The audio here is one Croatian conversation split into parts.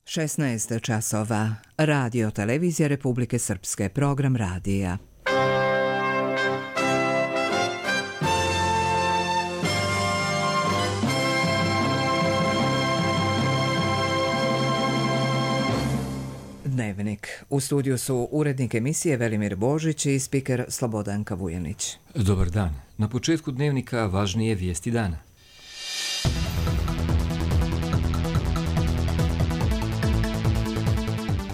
16 časova. Radio Televizija Republike Srpske. Program radija. Dnevnik. U studiju su urednik emisije Velimir Božić i spiker Slobodanka Vujanić. Dobar dan. Na početku dnevnika važnije vijesti dana.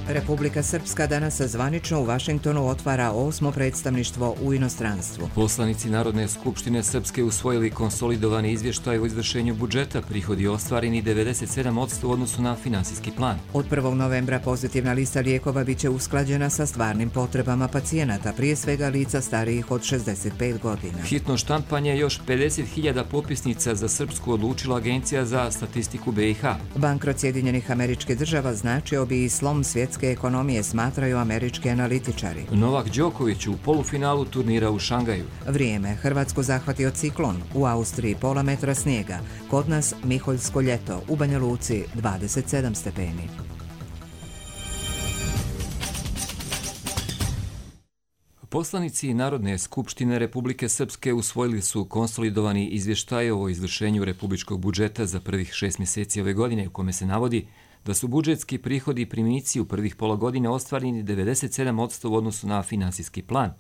Republika Srpska danas zvanično u Vašingtonu otvara 8. predstavništvo u inostranstvu. Poslanici Narodne skupštine Srpske usvojili konsolidovani izvještaj o izvršenju budžeta, prihodi ostvareni 97% u odnosu na finansijski plan. Od 1. novembra pozitivna lista lijekova biće usklađena sa stvarnim potrebama pacijenata, prije svega lica starijih od 65 godina. Hitno štampanje još 50.000 popisnica za Srpsku odlučila Agencija za statistiku BiH. Bankrot Sjedinjenih Američkih Država značio bi i slom svjetske ekonomije, smatraju američki analitičari. Novak Đoković u polufinalu turnira u Šangaju. Vrijeme. Hrvatsku zahvatio ciklon. U Austriji pola metra snijega. Kod nas Miholjsko ljeto. U Banja Luci 27 stepeni. Poslanici Narodne skupštine Republike Srpske usvojili su konsolidovani izvještaj o izvršenju republičkog budžeta za prvih 6 mjeseci ove godine, u kome se navodi da su budžetski prihodi i primici u prvih pola godine ostvareni 97% u odnosu na finansijski plan.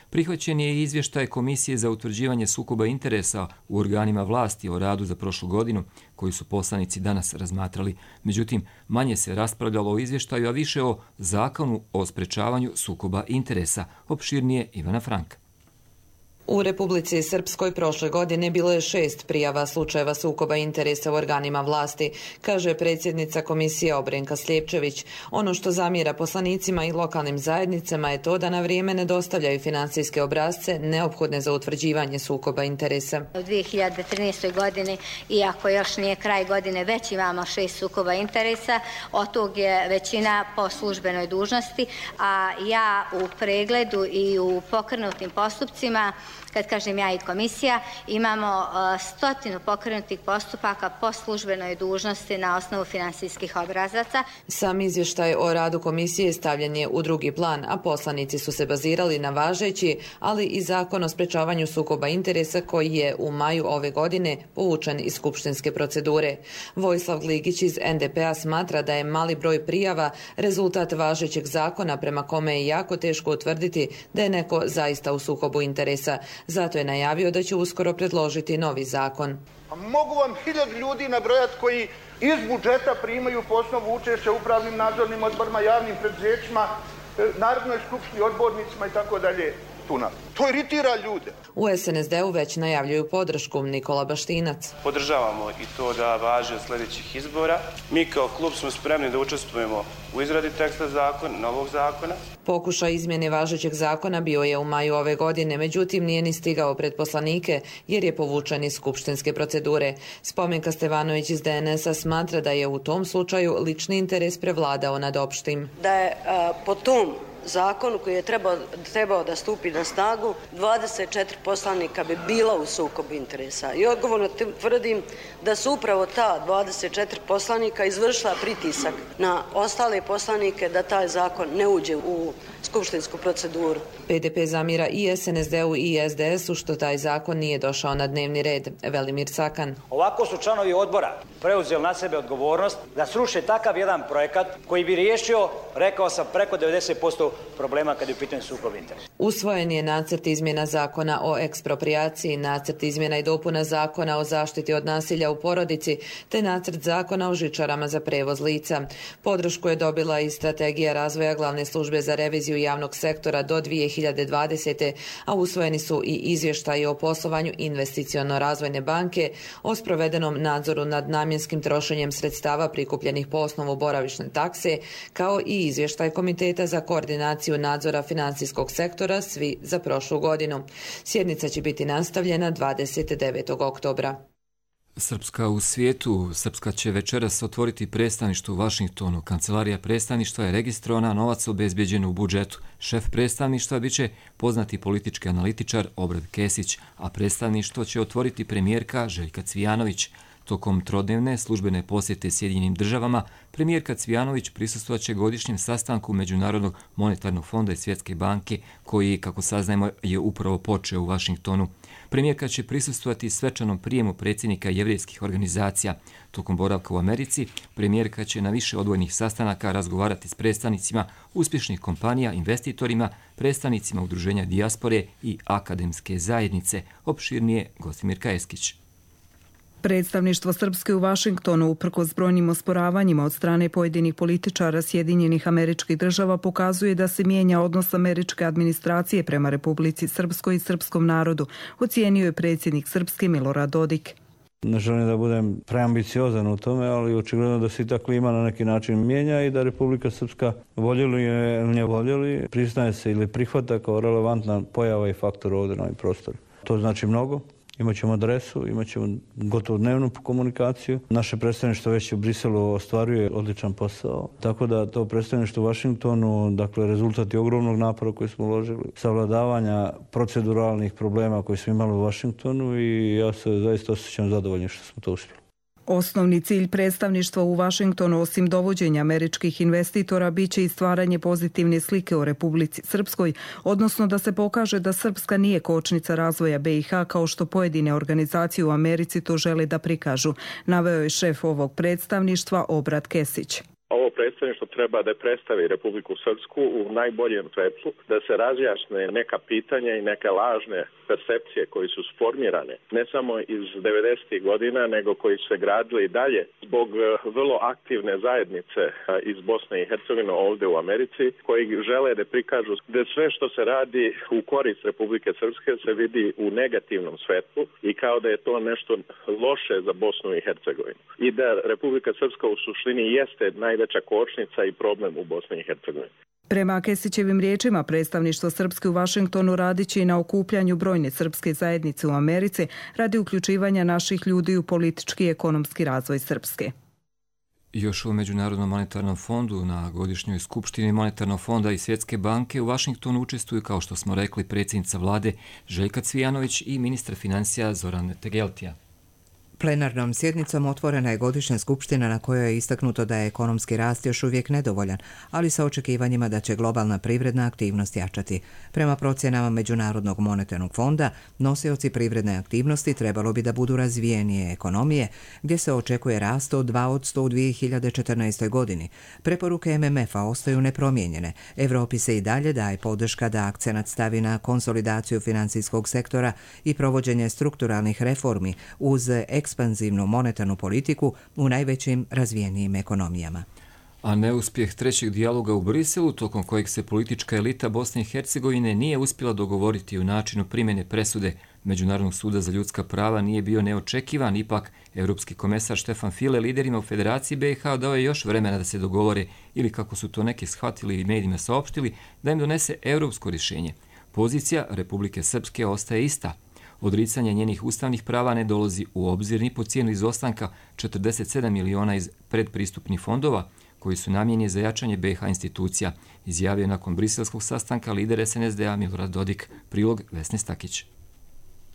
Prihvaćen je i izvještaj Komisije za utvrđivanje sukoba interesa u organima vlasti o radu za prošlu godinu, koji su poslanici danas razmatrali. Međutim, manje se raspravljalo o izvještaju, a više o zakonu o sprečavanju sukoba interesa. Opširnije Ivana Franka. U Republici Srpskoj prošle godine bilo je 6 prijava slučajeva sukoba interesa u organima vlasti, kaže predsjednica komisije Obrenka Sljepčević. Ono što zamjera poslanicima i lokalnim zajednicama je to da na vrijeme ne dostavljaju finansijske obrasce neophodne za utvrđivanje sukoba interesa. U 2013. godini, iako još nije kraj godine, već imamo 6 sukoba interesa, od tog je većina po službenoj dužnosti, a ja u pregledu i u pokrenutim postupcima, kad kažem ja i komisija, imamo 100 pokrenutih postupaka po službenoj dužnosti na osnovu finansijskih obrazaca. Sam izvještaj o radu komisije stavljen je u drugi plan, a poslanici su se bazirali na važeći, ali i zakon o sprečavanju sukoba interesa koji je u maju ove godine povučen iz skupštinske procedure. Vojislav Gligić iz NDP-a smatra da je mali broj prijava rezultat važećeg zakona prema kome je jako teško utvrditi da je neko zaista u sukobu interesa. Zato je najavio da će uskoro predložiti novi zakon. Mogu vam 1000 ljudi nabrojati koji iz budžeta primaju po osnovu učešća u upravnim nadzornim odborima, javnim preduzećima, Narodnoj skupštini, odbornicima i tako dalje. To iritira ljude. U SNSD-u već najavljuju podršku. Nikola Baštinac. Podržavamo i to da važe od sljedećih izbora. Mi kao klub smo spremni da učestvujemo u izradi teksta zakona, novog zakona. Pokušaj izmjene važećeg zakona bio je u maju ove godine, međutim nije ni stigao pred poslanike jer je povučen iz skupštinske procedure. Spomenka Stevanović iz DNS-a smatra da je u tom slučaju lični interes prevladao nad opštim. Da je po tom zakonu koji je trebao da stupi na snagu, 24 poslanika bi bila u sukobu interesa. I odgovorno tvrdim da su upravo ta 24 poslanika izvršila pritisak na ostale poslanike da taj zakon ne uđe u skupštinsku proceduru. PDP zamira i SNSD-u i SDS-u što taj zakon nije došao na dnevni red. Velimir Cakan. Ovako su članovi odbora preuzeli na sebe odgovornost da sruše takav jedan projekat koji bi riješio, rekao sam, preko 90% problema kad je u pitanju sukob interesa. Usvojen je nacrt izmjena zakona o eksproprijaciji, nacrt izmjena i dopuna zakona o zaštiti od nasilja u porodici, te nacrt zakona o žičarama za prevoz lica. Podršku je dobila i strategija razvoja glavne službe za reviziju javnog sektora do 2020. a usvojeni su i izvještaji o poslovanju investiciono-razvojne banke, o sprovedenom nadzoru nad namjenskim trošenjem sredstava prikupljenih po osnovu boravišne takse, kao i izvještaj Komiteta za koordinaciju nadzora financijskog sektora, svi za prošlu godinu. Sjednica će biti nastavljena 29. oktobra. Srpska u svijetu. Srpska će večeras otvoriti predstavništvo u Vašingtonu. Kancelarija predstavništva je registrovana, novac obezbeđen u budžetu. Šef predstavništva biće poznati politički analitičar Obrad Kesić, a predstavništvo će otvoriti premijerka Željka Cvijanović. Tokom trodnevne službene posjete Sjedinjenim državama, premijerka Cvijanović prisustvovaće godišnjem sastanku Međunarodnog monetarnog fonda i Svjetske banke, koji, kako saznajemo, je upravo počeo u Vašingtonu. Premijerka će prisustvovati svečanom prijemu predsjednika jevrejskih organizacija. Tokom boravka u Americi, premijerka će na više odvojnih sastanaka razgovarati s predstavnicima uspješnih kompanija, investitorima, predstavnicima udruženja dijaspore i akademske zajednice. Opširnije Gostimir Kajeskić. Predstavništvo Srpske u Vašingtonu, uprkos brojnim osporavanjima od strane pojedinih političara Sjedinjenih Američkih Država, pokazuje da se mijenja odnos američke administracije prema Republici Srpskoj i srpskom narodu, ocijenio je predsjednik Srpske Milorad Dodik. Ne želim da budem preambiciozan u tome, ali očigledno da se i ta klima na neki način mijenja i da Republika Srpska, voljeli je ili ne voljeli, priznaje se ili prihvata kao relevantna pojava i faktor ovdje na ovim prostoru. To znači mnogo. Imaćemo adresu, imaćemo gotovo dnevnu komunikaciju. Naše predstavništvo već u Briselu ostvaruje odličan posao. Tako da to predstavništvo u Vašingtonu, dakle, rezultat je ogromnog napora koji smo uložili, savladavanja proceduralnih problema koji smo imali u Vašingtonu i ja se zaista osjećam zadovoljnim što smo to uspjeli. Osnovni cilj predstavništva u Vašingtonu, osim dovođenja američkih investitora, biće i stvaranje pozitivne slike o Republici Srpskoj, odnosno da se pokaže da Srpska nije kočnica razvoja BiH kao što pojedine organizacije u Americi to žele da prikažu, naveo je šef ovog predstavništva Obrat Kesić. Ovo predstavništvo treba da predstavi Republiku Srpsku u najboljem svetlu, da se razjasne neka pitanja i neke lažne percepcije koji su sformirane, ne samo iz 90. godina, nego koji su se gradili i dalje zbog vrlo aktivne zajednice iz Bosne i Hercegovine ovdje u Americi, koji žele da prikažu da sve što se radi u korist Republike Srpske se vidi u negativnom svetlu i kao da je to nešto loše za Bosnu i Hercegovinu. I da Republika Srpska u suštini jeste najveća kočnica i problem u Bosni i Hercegovini. Prema Kesićevim riječima, predstavništvo Srpske u Vašingtonu radiće i na okupljanju brojne srpske zajednice u Americi radi uključivanja naših ljudi u politički i ekonomski razvoj Srpske. Još u Međunarodnom monetarnom fondu na godišnjoj skupštini Monetarnog fonda i Svjetske banke u Vašingtonu učestvuju, kao što smo rekli, predsjednica vlade Željka Cvijanović i ministar financija Zoran Tegeltija. Plenarnom sjednicom otvorena je godišnja skupština na kojoj je istaknuto da je ekonomski rast još uvijek nedovoljan, ali sa očekivanjima da će globalna privredna aktivnost jačati. Prema procjenama Međunarodnog monetarnog fonda, nosioci privredne aktivnosti trebalo bi da budu razvijenije ekonomije, gdje se očekuje rast od 2% u 2014. godini. Preporuke MMF-a ostaju nepromijenjene. Evropi se i dalje daje podrška da akcenat stavi na konsolidaciju financijskog sektora i provođenje strukturalnih reformi uz ekspanzivnu monetarnu politiku u najvećim razvijenijim ekonomijama. A neuspjeh trećeg dijaloga u Briselu, tokom kojeg se politička elita Bosne i Hercegovine nije uspjela dogovoriti o načinu primjene presude Međunarodnog suda za ljudska prava, nije bio neočekivan. Ipak, Europski komesar Štefan File liderima u Federaciji BiH dao je još vremena da se dogovore, ili kako su to neki shvatili i medijima saopštili, da im donese europsko rješenje. Pozicija Republike Srpske ostaje ista. Odricanje njenih ustavnih prava ne dolazi u obzir ni po cijenu izostanka 47 miliona iz predpristupnih fondova koji su namijenjeni za jačanje BiH institucija, izjavio nakon briselskog sastanka lider SNSD-a Milorad Dodik. Prilog Vesne Stakić.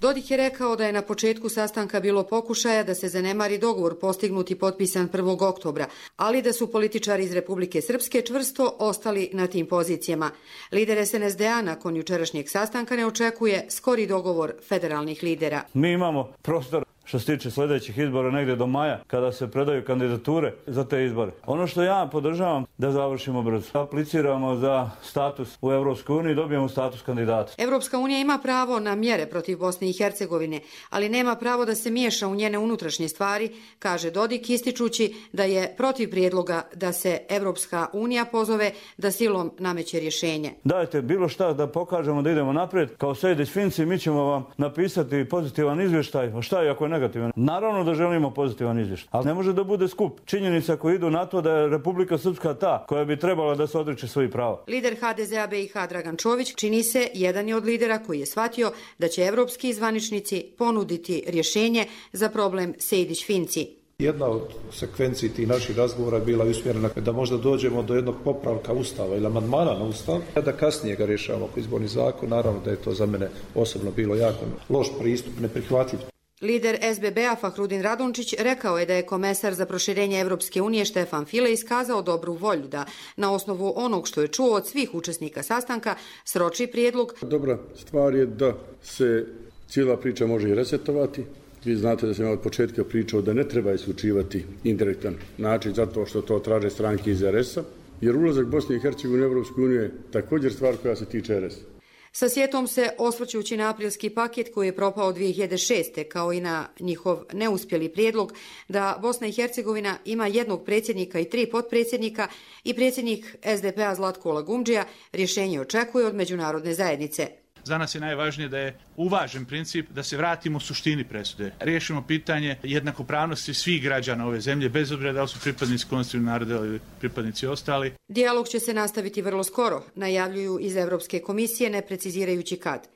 Dodik je rekao da je na početku sastanka bilo pokušaja da se zanemari dogovor postignut i potpisan 1. oktobra, ali da su političari iz Republike Srpske čvrsto ostali na tim pozicijama. Lider SNSD-a nakon jučerašnjeg sastanka ne očekuje skori dogovor federalnih lidera. Mi imamo prostor što se tiče sljedećih izbora negdje do maja, kada se predaju kandidature za te izbore. Ono što ja podržavam da završimo brzo. Apliciramo za status u Europskoj uniji i dobijemo status kandidata. Europska unija ima pravo na mjere protiv Bosne i Hercegovine, ali nema pravo da se miješa u njene unutrašnje stvari, kaže Dodik, ističući da je protiv prijedloga da se Europska unija pozove da silom nameće rješenje. Dajte bilo šta da pokažemo da idemo naprijed. Kao Sejdić Finci mi ćemo vam napisati pozitivan izvještaj. A šta je ako je negativan? Naravno da želimo pozitivan izvještaj, ali ne može da bude skup činjenica koji idu na to da je Republika Srpska ta koja bi trebala da se odriče svojih prava. Lider HDZ-a BiH Dragan Čović, čini se, jedan je od lidera koji je shvatio da će evropski zvaničnici ponuditi rješenje za problem Sejdić-Finci. Jedna od sekvenciji tih naših razgovora je bila usmjerena da možda dođemo do jednog popravka Ustava ili amandmana na Ustav, da kasnije ga rješavamo oko izborni zakon. Naravno da je to za mene osobno bilo jako loš pristup, neprihvatljiv. Lider SBB-a Fahrudin Radončić rekao je da je komesar za proširenje Evropske unije Štefan File iskazao dobru volju da, na osnovu onog što je čuo od svih učesnika sastanka, sroči prijedlog. Dobra stvar je da se cijela priča može i resetovati. Vi znate da sam od početka pričao da ne treba isključivati indirektan način zato što to traže stranke iz RS-a, jer ulazak Bosne i Hercegovine u Evropsku uniju je također stvar koja se tiče RS-a. Sa sjetom se, osvrćući na aprilski paket koji je propao 2006. kao i na njihov neuspjeli prijedlog da Bosna i Hercegovina ima jednog predsjednika i 3 potpredsjednika i predsjednik SDP-a Zlatko Lagumdžija rješenje očekuje od međunarodne zajednice. Za nas je najvažnije da je uvažen princip da se vratimo suštini presude. Riješimo pitanje jednakopravnosti svih građana ove zemlje, bez obzira da li su pripadnici konstitutivnog naroda ili pripadnici ostali. Dijalog će se nastaviti vrlo skoro, najavljuju iz Evropske komisije, ne precizirajući kad.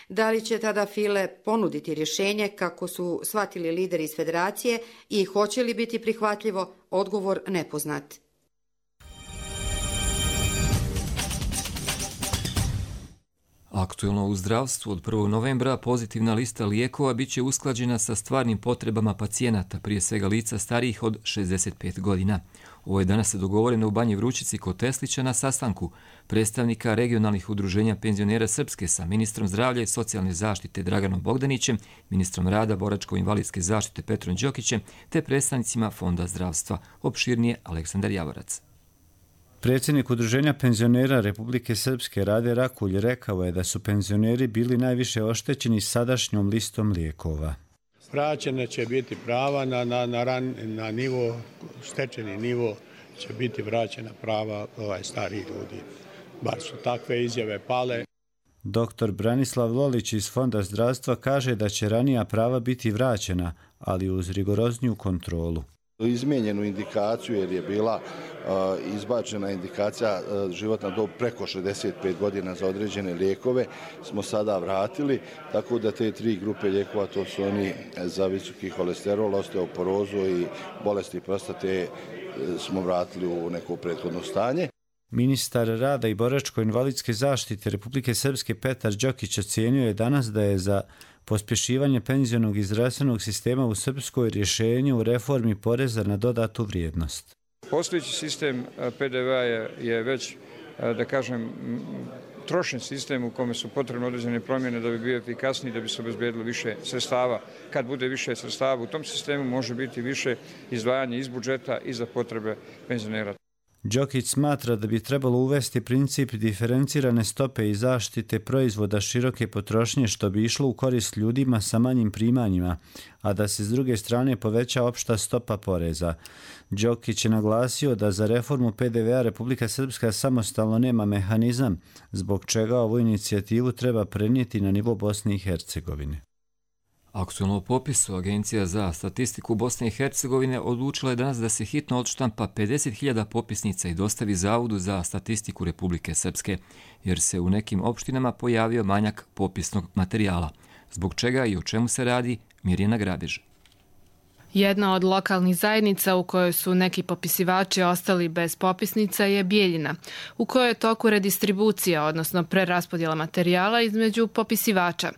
Da li će tada File ponuditi rješenje kako su shvatili lideri iz federacije i hoće li biti prihvatljivo, odgovor nepoznat. Aktuelno u zdravstvu od 1. novembra pozitivna lista lijekova bit će usklađena sa stvarnim potrebama pacijenata, prije svega lica starijih od 65 godina. Ovo je danas dogovoreno u Banji Vrućici kod Teslića na sastanku predstavnika regionalnih udruženja penzionera Srpske sa ministrom zdravlja i socijalne zaštite Draganom Bogdanićem, ministrom rada, boračko-invalidske zaštite Petrom Đokićem te predstavnicima Fonda zdravstva. Opširnije Aleksandar Javorac. Predsjednik Udruženja penzionera Republike Srpske Rade Rakulj rekao je da su penzioneri bili najviše oštećeni sadašnjom listom lijekova. Vraćene će biti prava na nivo, stečeni nivo će biti vraćena prava starih ljudi. Bar su takve izjave pale. Dr. Branislav Lolić iz Fonda zdravstva kaže da će ranija prava biti vraćena, ali uz rigorozniju kontrolu. Izmijenjenu indikaciju jer je bila izbačena indikacija životna dob preko 65 godina za određene lijekove smo sada vratili, tako da te 3 grupe lijekova, to su oni za visoki holesterol, osteoporozu i bolesti prostate, smo vratili u neko prethodno stanje. Ministar rada i boračko-invalidske zaštite Republike Srpske Petar Đokić ocijenio je danas da je za pospješivanje penzionog i zdravstvenog sistema u Srpskoj rješenje u reformi poreza na dodatu vrijednost. Postojeći sistem PDV-a je već, da kažem, trošen sistem u kome su potrebne određene promjene da bi bio efikasniji, da bi se obezbedilo više sredstava. Kad bude više sredstava u tom sistemu može biti više izdvajanja iz budžeta i za potrebe penzionera. Đokić smatra da bi trebalo uvesti princip diferencirane stope i zaštite proizvoda široke potrošnje što bi išlo u korist ljudima sa manjim primanjima, a da se s druge strane poveća opšta stopa poreza. Đokić je naglasio da za reformu PDV-a Republika Srpska samostalno nema mehanizam, zbog čega ovu inicijativu treba prenijeti na nivo Bosne i Hercegovine. Aktualno popisu Agencija za statistiku Bosne i Hercegovine odlučila je danas da se hitno odštampa 50.000 popisnica i dostavi Zavodu za statistiku Republike Srpske, jer se u nekim opštinama pojavio manjak popisnog materijala. Zbog čega i o čemu se radi, Mirjana Grabež. Jedna od lokalnih zajednica u kojoj su neki popisivači ostali bez popisnica je Bijeljina, u kojoj je toku redistribucija, odnosno preraspodjela materijala između popisivača.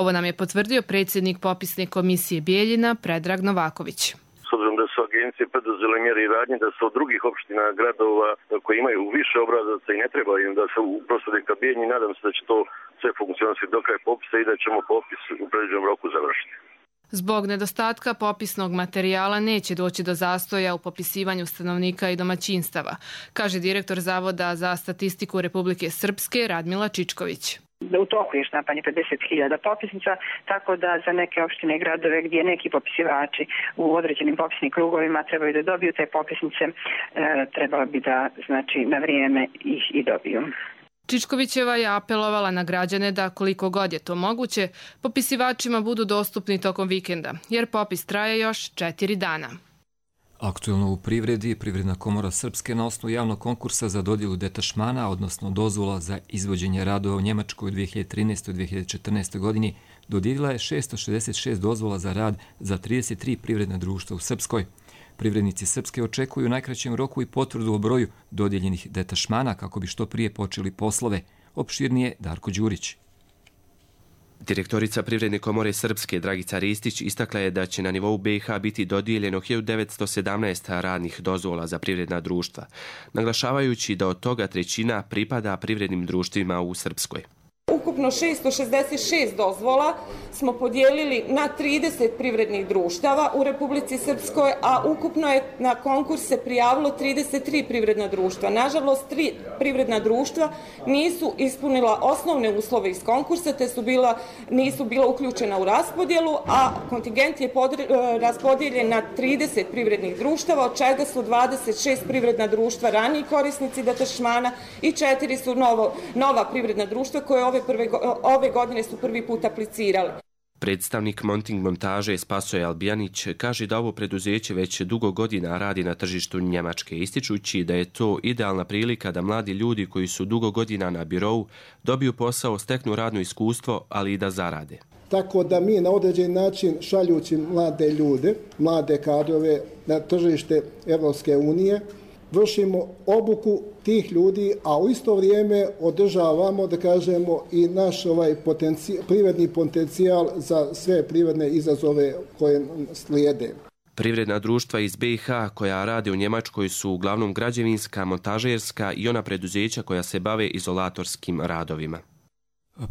Ovo nam je potvrdio predsjednik popisne komisije Bijeljina, Predrag Novaković. S obzirom da su agencije preduzele mjere i radnje, da se od drugih opština, gradova koji imaju više obrazaca i ne treba im da se uprostade ka Bijeljini, nadam se da će to sve funkcionirati do kraja popisa i da ćemo popis u predviđenom roku završiti. Zbog nedostatka popisnog materijala neće doći do zastoja u popisivanju stanovnika i domaćinstava, kaže direktor Zavoda za statistiku Republike Srpske Radmila Čičković. U toku je štampanje 50.000 popisnica, tako da za neke opštine i gradove gdje neki popisivači u određenim popisnim krugovima trebaju da dobiju te popisnice, trebalo bi da na vrijeme ih i dobiju. Čičkovićeva je apelovala na građane da, koliko god je to moguće, popisivačima budu dostupni tokom vikenda, jer popis traje još 4 dana. Aktualno u privredi, Privredna komora Srpske na osnovu javnog konkursa za dodjelu detašmana, odnosno dozvola za izvođenje radova u Njemačkoj u 2013. i 2014. godini, dodijelila je 666 dozvola za rad za 33 privredna društva u Srpskoj. Privrednici Srpske očekuju u najkraćem roku i potvrdu o broju dodijeljenih detašmana kako bi što prije počeli poslove. Opširnije Darko Đurić. Direktorica Privredne komore Srpske Dragica Ristić istakla je da će na nivou BiH biti dodijeljeno 1917 radnih dozvola za privredna društva, naglašavajući da od toga trećina pripada privrednim društvima u Srpskoj. Ukupno 666 dozvola smo podijelili na 30 privrednih društava u Republici Srpskoj, a ukupno je na konkurs se prijavilo 33 privredna društva. Nažalost, 3 privredna društva nisu ispunila osnovne uslove iz konkursa, te nisu bila uključena u raspodjelu, a kontingent je raspodijeljen na 30 privrednih društava, od čega su 26 privredna društva raniji korisnici detašmana i 4 su nova privredna društva koje ove godine su prvi put aplicirali. Predstavnik Monting montaže Spasoje Albijanić kaže da ovo preduzeće već dugo godina radi na tržištu Njemačke, ističući da je to idealna prilika da mladi ljudi koji su dugo godina na birou dobiju posao, steknu radno iskustvo, ali i da zarade. Tako da mi na određen način šaljući mlade ljude, mlade kadrove na tržište Evropske unije, vršimo obuku tih ljudi, a u isto vrijeme održavamo, da kažemo, i naš privredni potencijal za sve privredne izazove koje slijede. Privredna društva iz BiH koja rade u Njemačkoj su uglavnom građevinska, montažerska i ona preduzeća koja se bave izolatorskim radovima.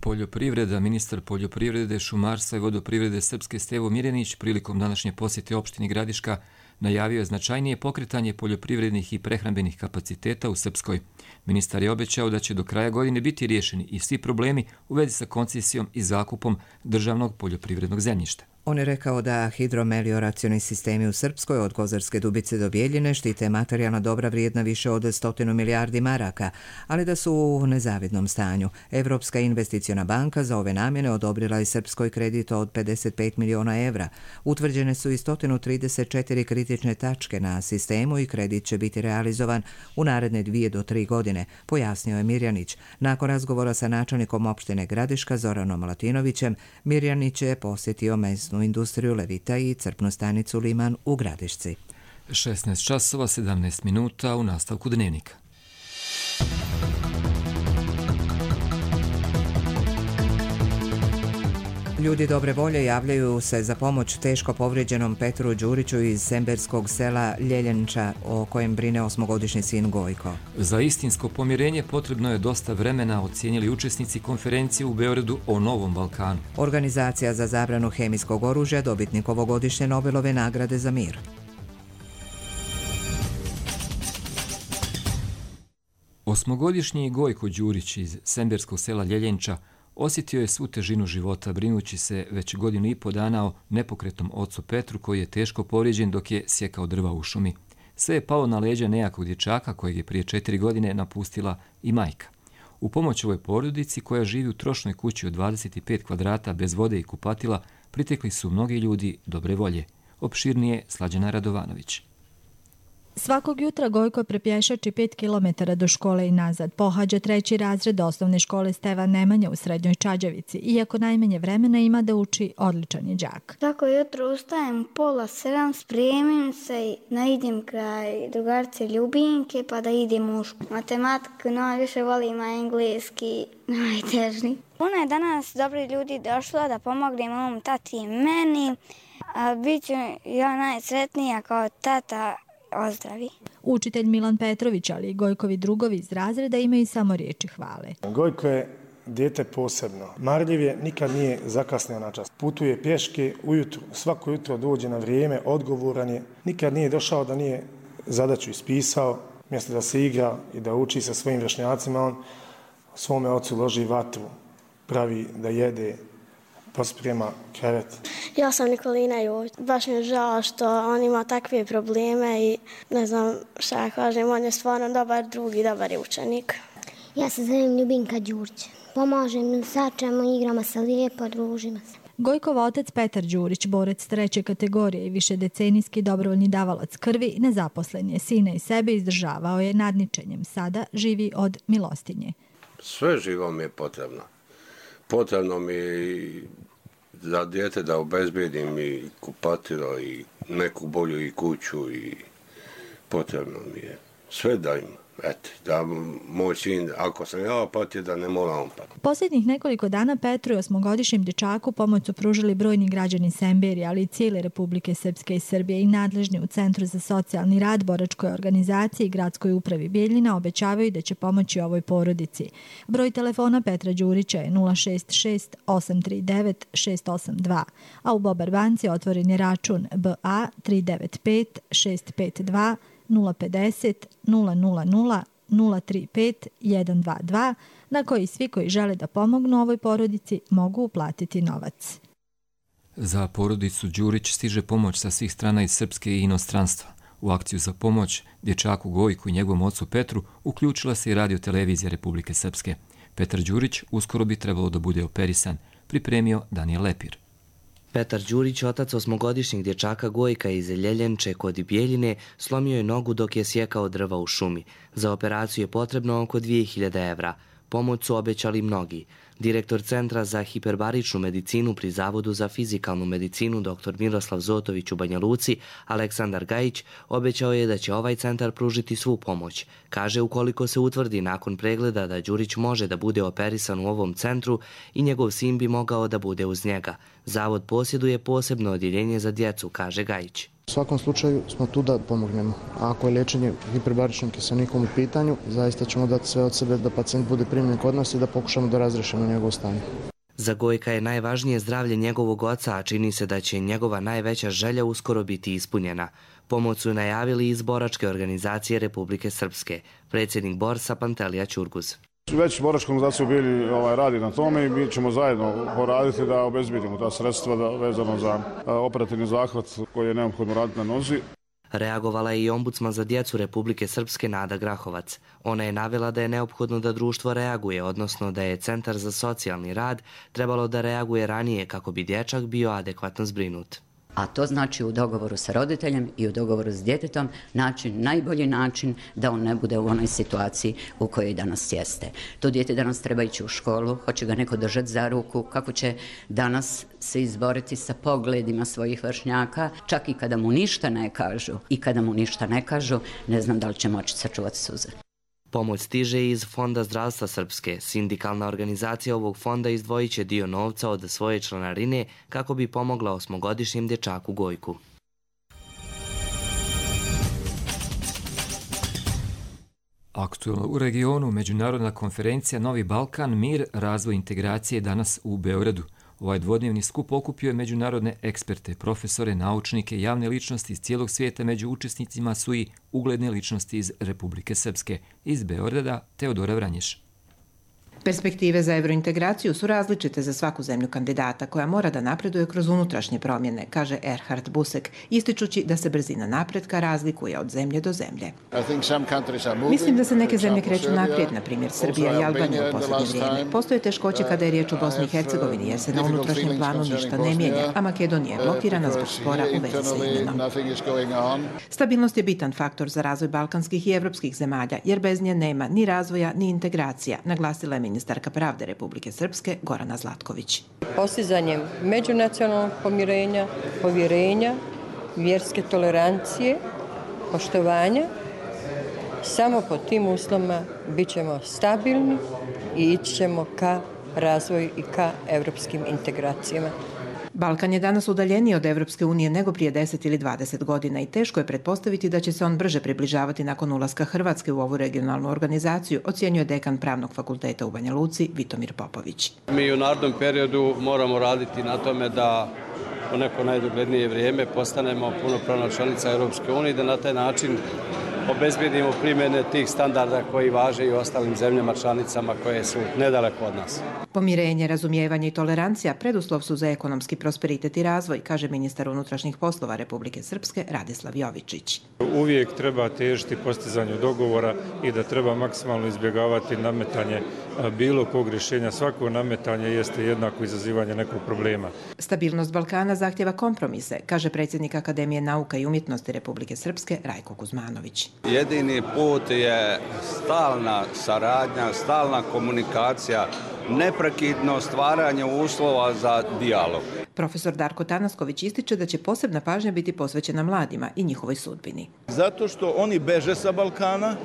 Poljoprivreda, ministar poljoprivrede, šumarstva i vodoprivrede Srpske Stevo Mirjanić prilikom današnje posjete opštini Gradiška najavio je značajnije pokretanje poljoprivrednih i prehrambenih kapaciteta u Srpskoj. Ministar je obećao da će do kraja godine biti riješeni i svi problemi u vezi sa koncesijom i zakupom državnog poljoprivrednog zemljišta. On je rekao da hidromelioracioni sistemi u Srpskoj od Kozarske Dubice do Bijeljine štite materijalna dobra vrijedna više od 100 milijardi maraka, ali da su u nezavidnom stanju. Evropska investiciona banka za ove namjene odobrila i Srpskoj kredit od 55 miliona evra. Utvrđene su i 134 kritične tačke na sistemu i kredit će biti realizovan u naredne 2 do 3 godine, pojasnio je Mirjanić. Nakon razgovora sa načelnikom opštine Gradiška Zoranom Latinovićem, Mirjanić je posjetio mesnu industriju Levita i crpnu stanicu Liman u Gradišci. 16 časova 17 minuta u nastavku dnevnika. Ljudi dobre volje javljaju se za pomoć teško povrijeđenom Petru Đuriću iz semberskog sela Ljeljenča, o kojem brine 8-godišnji sin Gojko. Za istinsko pomirenje potrebno je dosta vremena, ocijenili učesnici konferencije u Beogradu o Novom Balkanu. Organizacija za zabranu hemijskog oružja, dobitnik ovogodišnje Nobelove nagrade za mir. Osmogodišnji Gojko Đurić iz semberskog sela Ljeljenča osjetio je svu težinu života, brinući se već 1,5 dana o nepokretnom ocu Petru, koji je teško povrijeđen dok je sjekao drva u šumi. Sve je palo na leđa nejakog dječaka kojeg je prije 4 godine napustila i majka. U pomoć ovoj porodici, koja živi u trošnoj kući od 25 kvadrata bez vode i kupatila, pritekli su mnogi ljudi dobre volje. Opširnije Slađana Radovanović. Svakog jutra Gojko prepješači 5 km do škole i nazad. Pohađa 3. razred osnovne škole Stevan Nemanja u Srednjoj Čađavici. Iako najmanje vremena ima da uči, odličan je đak. Svako jutro ustajem 6:30, spremim se i idem kraj drugarice Ljubinke pa da idem u školu. Matematiku najviše volim, a engleski najteži. Puno je danas dobri ljudi došlo da pomognem mom tati i meni. Biću ja najsretnija kao tata ozdravi. Učitelj Milan Petrović, ali i Gojkovi drugovi iz razreda imaju samo riječi hvale. Gojko je dijete posebno. Marljiv je, nikad nije zakasnio na čas. Putuje pješke ujutru, svako jutro dođe na vrijeme, odgovoran je. Nikad nije došao da nije zadaću ispisao. Mjesto da se igra i da uči sa svojim vršnjacima, on svome ocu loži vatru, pravi da jede, posprema krevet. Ja sam Nikolina Jović. Baš mi je žao što on ima takve probleme i ne znam šta ja kažem, on je stvarno dobar drug i dobar je učenik. Ja se zovem Ljubinka Đurić. Pomažem, sačemo, igramo se lijepo, družimo se. Gojkov otac Petar Đurić, borac 3. kategorije i višedecenijski dobrovoljni davalac krvi, nezaposlen je, sina i sebe izdržavao je nadničenjem. Sada živi od milostinje. Sve živo mi je potrebno. Potrebno mi je za dijete da obezbedim i kupatilo i neku bolju i kuću i potrebno mi je. Sve da ima. Eto, da moj sin, ako sam ja patio, da ne mora on patiti. Posljednjih nekoliko dana Petru i 8-godišnjem dječaku pomoć su pružili brojni građani Semberije, ali i cijele Republike Srpske i Srbije i nadležni u Centru za socijalni rad, boračkoj organizaciji i gradskoj upravi Bijeljina obećavaju da će pomoći ovoj porodici. Broj telefona Petra Đurića je 066 839 682, a u Bobar banci otvoren je račun BA 395 652 050 000 035 122 na koji svi koji žele da pomognu ovoj porodici mogu uplatiti novac. Za porodicu Đurić stiže pomoć sa svih strana iz Srpske i inostranstva. U akciju za pomoć dječaku Gojku i njegovom ocu Petru uključila se i radiotelevizija Republike Srpske. Petar Đurić uskoro bi trebalo da bude operisan, pripremio Danijel Lepir. Petar Đurić, otac 8-godišnjeg dječaka Gojka iz Ljeljenče kod Bijeljine, slomio je nogu dok je sjekao drva u šumi. Za operaciju je potrebno oko 2000 evra. Pomoć su obećali mnogi. Direktor Centra za hiperbaričnu medicinu pri Zavodu za fizikalnu medicinu dr. Miroslav Zotović u Banja Luci, Aleksandar Gajić, obećao je da će ovaj centar pružiti svu pomoć. Kaže, ukoliko se utvrdi nakon pregleda da Đurić može da bude operisan u ovom centru i njegov sin bi mogao da bude uz njega. Zavod posjeduje posebno odjeljenje za djecu, kaže Gajić. U svakom slučaju smo tu da pomognemo. A ako je liječenje hiperbaričnim kiselnikom u pitanju, zaista ćemo dati sve od sebe da pacijent bude primljen kod nas i da pokušamo da razrešimo njegovo stanje. Za Gojka je najvažnije zdravlje njegovog oca, a čini se da će njegova najveća želja uskoro biti ispunjena. Pomoć su najavili iz boračke organizacije Republike Srpske, predsjednik Borsa Pantelija Ćurguz. Već boračka organizacija bili radi na tome i mi ćemo zajedno poraditi da obezbedimo ta sredstva vezano za operativni zahvat koji je neophodno raditi na nozi. Reagovala je i ombudsman za djecu Republike Srpske Nada Grahovac. Ona je navela da je neophodno da društvo reaguje, odnosno da je Centar za socijalni rad trebalo da reaguje ranije kako bi dječak bio adekvatno zbrinut. A to znači u dogovoru sa roditeljem i u dogovoru s djetetom najbolji način da on ne bude u onoj situaciji u kojoj danas jeste. To dijete danas treba ići u školu, hoće ga neko držati za ruku, kako će danas se izboriti sa pogledima svojih vršnjaka, čak i kada mu ništa ne kažu. I kada mu ništa ne kažu, ne znam da li će moći sačuvati suze. Pomoć stiže iz Fonda zdravstva Srpske. Sindikalna organizacija ovog fonda izdvojit će dio novca od svoje članarine kako bi pomogla 8-godišnjem dječaku Gojku. Aktualno u regionu međunarodna konferencija Novi Balkan, mir, razvoj integracije danas u Beogradu. Ovaj dvodnevni skup okupio je međunarodne eksperte, profesore, naučnike, javne ličnosti iz cijelog svijeta. Među učesnicima su i ugledne ličnosti iz Republike Srpske. Iz Beograda Teodora Vranješ. Perspektive za evrointegraciju su različite za svaku zemlju kandidata koja mora da napreduje kroz unutrašnje promjene, kaže Erhard Busek, ističući da se brzina napretka razlikuje od zemlje do zemlje. Mislim da se neke zemlje kreću naprijed, na primjer Srbija i Albanija u posljednje vrijeme. Postoje teškoće kada je riječ o Bosni i Hercegovini jer se na unutrašnjem planu ništa ne mijenja, a Makedonija je blokirana zbog spora u vezi sa imenom. Stabilnost je bitan faktor za razvoj balkanskih i evropskih zemalja, jer bez nje nema ni razvoja ni integracija, naglasila je ministarka pravde Republike Srpske Gorana Zlatković. Postizanjem međunacionalnog pomirenja, povjerenja, vjerske tolerancije, poštovanja, samo pod tim uslovima bit ćemo stabilni i ići ćemo ka razvoju i ka evropskim integracijama. Balkan je danas udaljeniji od Evropske unije nego prije 10 ili 20 godina i teško je pretpostaviti da će se on brže približavati nakon ulaska Hrvatske u ovu regionalnu organizaciju, ocjenjuje dekan Pravnog fakulteta u Banja Luci Vitomir Popović. Mi u narednom periodu moramo raditi na tome da u neko najdoglednije vrijeme postanemo punopravna članica Europske unije, da na taj način obezbedimo primjene tih standarda koji važe i u ostalim zemljama članicama koje su nedaleko od nas. Pomirenje, razumijevanje i tolerancija preduslov su za ekonomski prosperitet i razvoj, kaže ministar unutrašnjih poslova Republike Srpske Radislav Jovičić. Uvijek treba težiti postizanju dogovora i da treba maksimalno izbjegavati nametanje bilo kog rješenja. Svako nametanje jeste jednako izazivanje nekog problema. Stabilnost Balkana zahtjeva kompromise, kaže predsjednik Akademije nauka i umjetnosti Republike Srpske Rajko Kuzmanović. Jedini put je stalna saradnja, stalna komunikacija, neprekidno stvaranje uslova za dijalog. Profesor Darko Tanasković ističe da će posebna pažnja biti posvećena mladima i njihovoj sudbini. Zato što oni beže sa Balkana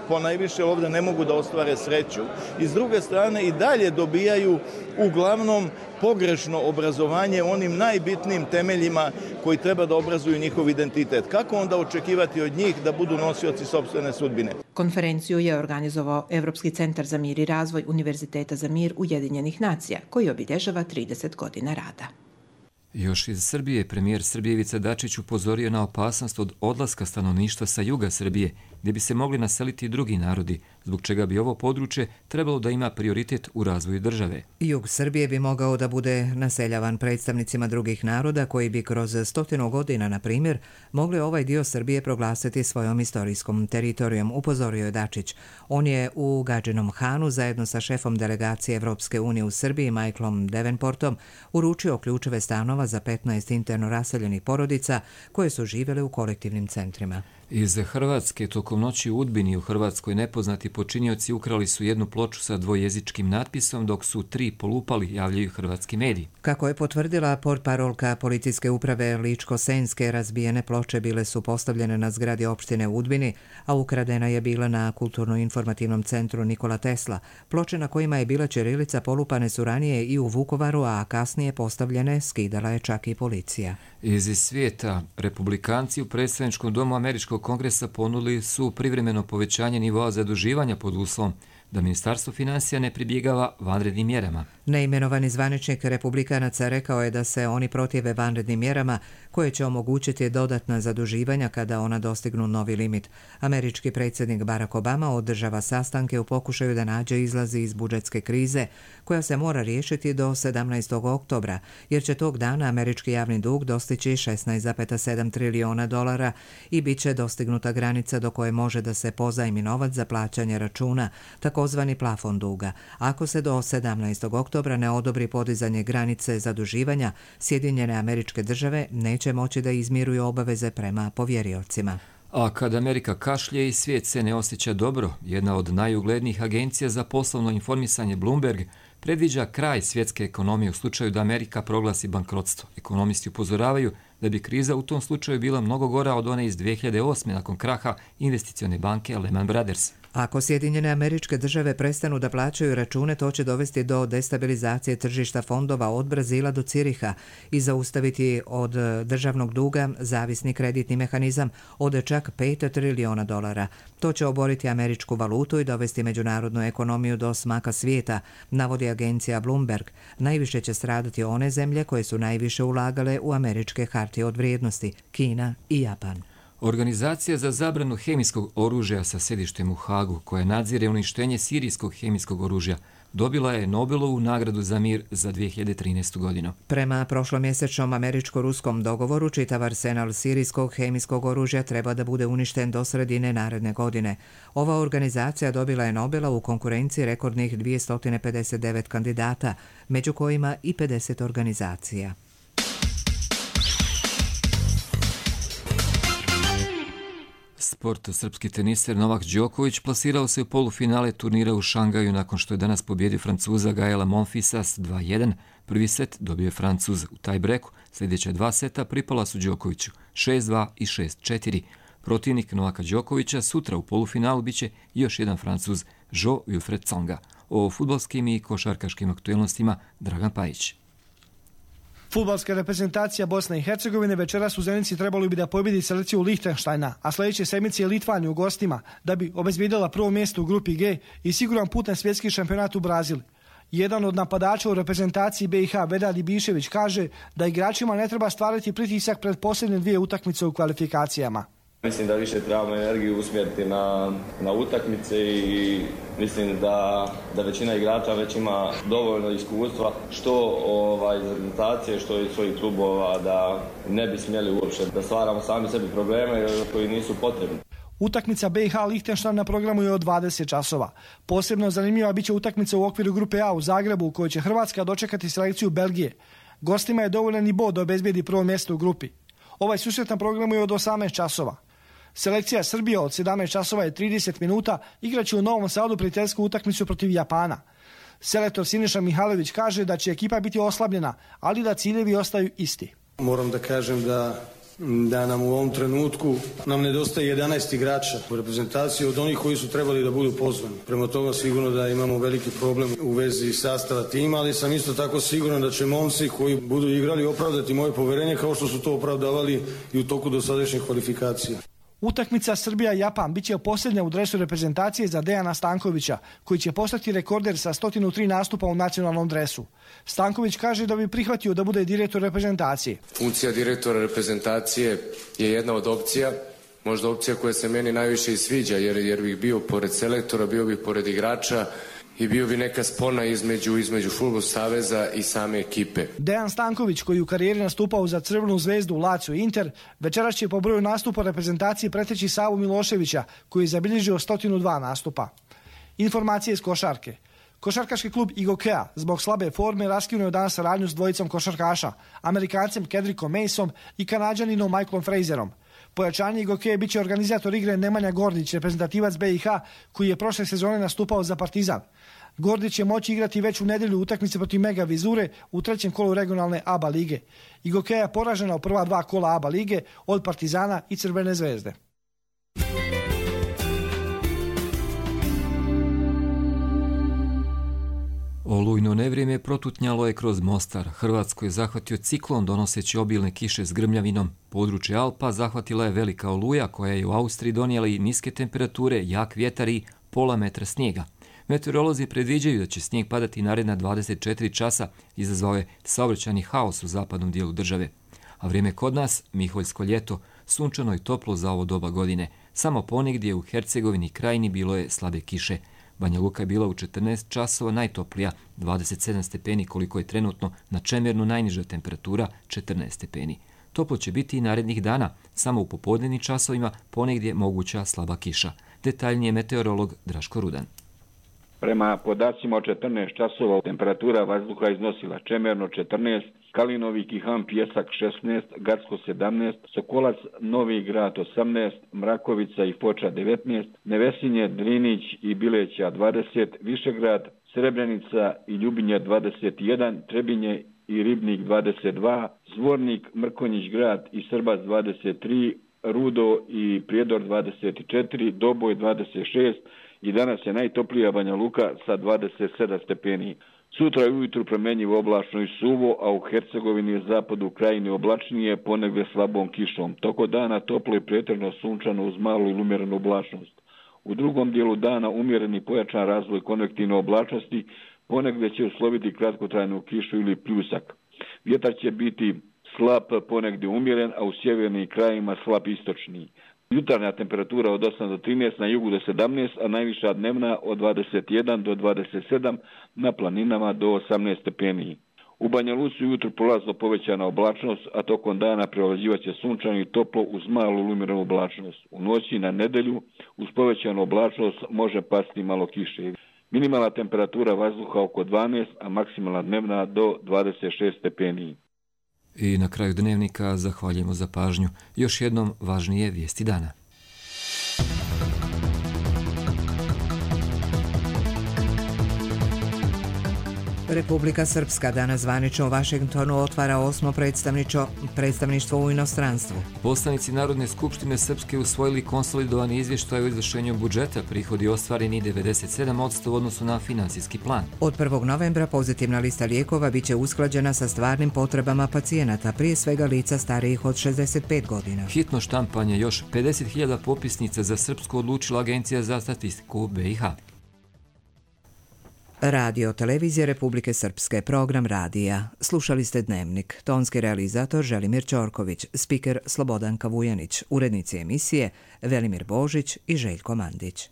ponajviše ovdje ne mogu da ostvare sreću i s druge strane i dalje dobijaju uglavnom pogrešno obrazovanje onim najbitnijim temeljima koji treba da obrazuju njihov identitet. Kako onda očekivati od njih da budu nosioci sopstvene sudbine? Konferenciju je organizovao Evropski centar za mir i razvoj Univerziteta za mir Ujedinjenih nacija, koji obilježava 30 godina rada. Još iz Srbije, premijer Srbije Ivica Dačić upozorio na opasnost od odlaska stanovništva sa juga Srbije, gdje bi se mogli naseliti i drugi narodi, zbog čega bi ovo područje trebalo da ima prioritet u razvoju države. Jug Srbije bi mogao da bude naseljavan predstavnicima drugih naroda koji bi kroz 100 godina, na primjer, mogli ovaj dio Srbije proglasiti svojom istorijskom teritorijom, upozorio je Dačić. On je u Gadžinom Hanu zajedno sa šefom delegacije Evropske unije u Srbiji, Michaelom Davenportom, uručio ključeve stanova za 15 interno raseljenih porodica koje su živjele u kolektivnim centrima. Iz Hrvatske tokom noći u Udbini u Hrvatskoj nepoznati počinioci ukrali su jednu ploču sa dvojezičkim natpisom, dok su 3 polupali, javljaju hrvatski mediji. Kako je potvrdila portparolka policijske uprave Ličko-Senjske, razbijene ploče bile su postavljene na zgradi opštine u Udbini, a ukradena je bila na kulturno-informativnom centru Nikola Tesla. Ploče na kojima je bila ćirilica polupane su ranije i u Vukovaru, a kasnije postavljene skidala je čak i policija. Iz svijeta, republikanci u predstavničkom domu Američkog kongresa ponudili su privremeno povećanje nivoa zaduživanja pod uslovom da Ministarstvo financija ne pribjegava vanrednim mjerama. Neimenovani zvaničnik republikanaca rekao je da se oni protive vanrednim mjerama koje će omogućiti dodatna zaduživanja kada ona dostignu novi limit. Američki predsjednik Barack Obama održava sastanke u pokušaju da nađe izlazi iz budžetske krize koja se mora riješiti do 17. oktobra, jer će tog dana američki javni dug dostići $16,7 trilijona i bit će dostignuta granica do koje može da se pozajmi novac za plaćanje računa, takozvani plafon duga. Ako se do 17. oktobra ne odobri podizanje granice zaduživanja, Sjedinjene Američke Države neće moći da izmiruju obaveze prema povjeriocima. A kad Amerika kašlje i svijet se ne osjeća dobro, jedna od najuglednijih agencija za poslovno informisanje Bloomberg predviđa kraj svjetske ekonomije u slučaju da Amerika proglasi bankrotstvo. Ekonomisti upozoravaju da bi kriza u tom slučaju bila mnogo gora od one iz 2008. nakon kraha investicione banke Lehman Brothers. Ako Sjedinjene Američke Države prestanu da plaćaju račune, to će dovesti do destabilizacije tržišta fondova od Brazila do Ciriha i zaustaviti od državnog duga zavisni kreditni mehanizam od čak $5 trilijona. To će oboriti američku valutu i dovesti međunarodnu ekonomiju do smaka svijeta, navodi agencija Bloomberg. Najviše će stradati one zemlje koje su najviše ulagale u američke hartije od vrijednosti, Kina i Japan. Organizacija za zabranu hemijskog oružja sa sjedištem u Hagu, koja nadzire uništenje sirijskog hemijskog oružja, dobila je Nobelovu nagradu za mir za 2013. godinu. Prema prošlomjesečnom američko-ruskom dogovoru, čitav arsenal sirijskog hemijskog oružja treba da bude uništen do sredine naredne godine. Ova organizacija dobila je Nobela u konkurenciji rekordnih 259 kandidata, među kojima i 50 organizacija. Sport. Srpski teniser Novak Đoković plasirao se u polufinale turnira u Šangaju nakon što je danas pobjedio Francuza Gaela Monfilsa s 2-1. Prvi set dobio je Francuz u tajbreku. Sljedeća 2 seta pripala su Đokoviću 6-2 i 6-4. Protivnik Novaka Đokovića sutra u polufinalu biće još jedan Francuz, Jo Wilfried Tsonga. O fudbalskim i košarkaškim aktuelnostima Dragan Pajić. Fudbalska reprezentacija Bosne i Hercegovine večeras u Zenici trebalo bi da pobjedi selekciju Lihtenštajna, a sljedeće sedmice je Litvanija u gostima da bi obezbijedila prvo mjesto u grupi G i siguran put na svjetski šampionat u Brazil. Jedan od napadača u reprezentaciji BiH, Vedad Ibišević, kaže da igračima ne treba stvarati pritisak pred posljednje 2 utakmice u kvalifikacijama. Mislim da više trebamo energiju usmjeriti na utakmice i mislim da većina igrača već ima dovoljno iskustva što iz reprezentacije, što iz svojih klubova, da ne bi smjeli uopće da stvaramo sami sebi probleme koji nisu potrebni. Utakmica BiH Lihtenštajn na programu je od 20 časova. Posebno zanimljiva biće utakmica u okviru grupe A u Zagrebu u kojoj će Hrvatska dočekati selekciju Belgije. Gostima je dovoljan i bod da obezbijedi prvo mjesto u grupi. Ovaj susret na programu je od 18 časova. Selekcija Srbije od 17 časova je 30 minuta, igraće u Novom Sadu prijateljsku utakmicu protiv Japana. Selektor Siniša Mihajlović kaže da će ekipa biti oslabljena, ali da ciljevi ostaju isti. Moram da kažem da da nam u ovom trenutku nam nedostaje 11 igrača u reprezentaciji od onih koji su trebali da budu pozvani. Prema toga sigurno da imamo veliki problem u vezi sastava tima, ali sam isto tako siguran da će momci koji budu igrali opravdati moje poverenje kao što su to opravdavali i u toku dosadašnjih kvalifikacija. Utakmica Srbija-Japan biće posljednja u dresu reprezentacije za Dejana Stankovića, koji će postati rekorder sa 103 nastupa u nacionalnom dresu. Stanković kaže da bi prihvatio da bude direktor reprezentacije. Funkcija direktora reprezentacije je jedna od opcija, možda opcija koja se meni najviše i sviđa, jer bih bio pored selektora, bio bih pored igrača i bio bi neka spona između Fudbalskog saveza i same ekipe. Dejan Stanković, koji u karijeri nastupao za Crvenu zvezdu, Lazio i Inter, večeras će po broju nastupa reprezentacije preteći Savu Miloševića, koji je zabilježio 102 nastupa. Informacije iz košarke. Košarkaški klub Igokea zbog slabe forme raskinuo je danas saradnju s dvojicom košarkaša, Amerikancem Kedrickom Maceom i Kanađaninom Michaelom Frazerom. Pojačanje Igokeje biće organizator igre Nemanja Gordić, reprezentativac BiH, koji je prošle sezone nastupao za Partizan. Gordić će moći igrati već u nedjelju utakmice protiv Mega Vizure u trećem kolu regionalne ABA lige. Igokeja je poražena u prva 2 kola ABA lige od Partizana i Crvene zvezde. Olujno nevrijeme protutnjalo je kroz Mostar. Hrvatsku je zahvatio ciklon donoseći obilne kiše s grmljavinom. Područje Alpa zahvatila je velika oluja koja je u Austriji donijela i niske temperature, jak vjetar i pola metra snijega. Meteorolozi predviđaju da će snijeg padati naredna 24 časa, izazvao je saobraćajni haos u zapadnom dijelu države. A vrijeme kod nas, miholjsko ljeto, sunčano i toplo za ovo doba godine. Samo ponegdje u Hercegovini i Krajini bilo je slabe kiše. Banja Luka je bila u 14 časova najtoplija, 27 stepeni koliko je trenutno, na Čemernu najniža temperatura 14 stepeni. Toplo će biti i narednih dana, samo u popodnevnim časovima ponegdje moguća slaba kiša. Detaljnije meteorolog Draško Rudan. Prema podacima od 14 časova temperatura vazduha iznosila Čemerno 14, Kalinovi, Kihan, Pjesak 16, Gacko 17, Sokolac, Novi Grad 18, Mrakovica i Foča 19, Nevesinje, Drinić i Bileća 20, Višegrad, Srebrenica i Ljubinja 21, Trebinje i Ribnik 22, Zvornik, Mrkonjić Grad i Srbac 23, Rudo i Prijedor 24, Doboj 26 i danas je najtoplija Banja Luka sa 27 stepeni. Sutra je ujutru promjenjivo oblačno i suvo, a u Hercegovini je zapadu u Krajini oblačnije, ponegdje slabom kišom. Toko dana toplo i pretežno sunčano uz malu ili umjerenu oblačnost. U drugom dijelu dana umjereni pojačan razvoj konvektivne oblačnosti, ponegdje će usloviti kratkotrajnu kišu ili pljusak. Vjetar će biti slab, ponegdje umjeren, a u sjevernim krajima slab istočni. Jutarnja temperatura od 8 do 13, na jugu do 17, a najviša dnevna od 21 do 27, na planinama do 18 stepeni. U Banja Luci ujutro prolazno povećana oblačnost, a tokom dana prevlađivaće sunčano i toplo uz malu lumiraну oblačnost. U noći na nedelju uz povećanu oblačnost može pasti malo kiše. Minimalna temperatura vazduha oko 12, a maksimalna dnevna do 26 stepeni. I na kraju dnevnika zahvaljujemo za pažnju. Još jednom važnije vijesti dana. Republika Srpska danas zvanično u Vašingtonu otvara 8. predstavništvo u inostranstvu. Poslanici Narodne skupštine Srpske usvojili konsolidovani izvještaj o izvršenju budžeta, prihodi ostvareni 97% u odnosu na finansijski plan. Od 1. novembra pozitivna lista lijekova biće usklađena sa stvarnim potrebama pacijenata, prije svega lica starijih od 65 godina. Hitno štampanje još 50.000 popisnica za Srpsku odlučila Agencija za statistiku BiH. Radio televizije Republike Srpske, program radija. Slušali ste Dnevnik. Tonski realizator Želimir Ćorković, spiker Slobodanka Vujanić, urednici emisije Velimir Božić i Željko Mandić.